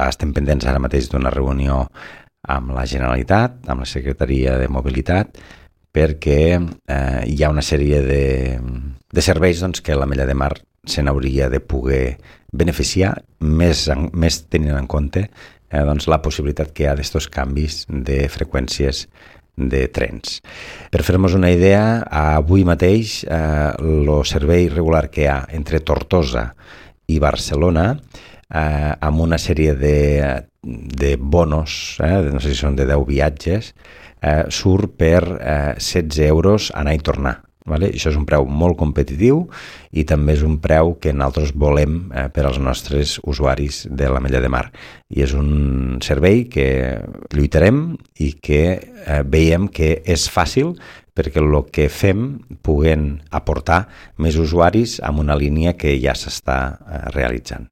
estem pendents ara mateix d'una reunió amb la Generalitat, amb la Secretaria de Mobilitat, perquè hi ha una sèrie de serveis que l'Ametlla de Mar se n'hauria de poder beneficiar, més tenint en compte la possibilitat que hi ha d'estos canvis de freqüències de trens. Per fer-nos una idea, avui mateix el servei regular que hi ha entre Tortosa i Barcelona, amb una sèrie de bonos, no sé si són de 10 viatges, surt per 16 euros anar i tornar. Vale? Això és un preu molt competitiu i també és un preu que nosaltres volem per als nostres usuaris de l'Ametlla de Mar. I és un servei que lluitarem i que veiem que és fàcil perquè el que fem puguem aportar més usuaris amb una línia que ja s'està realitzant.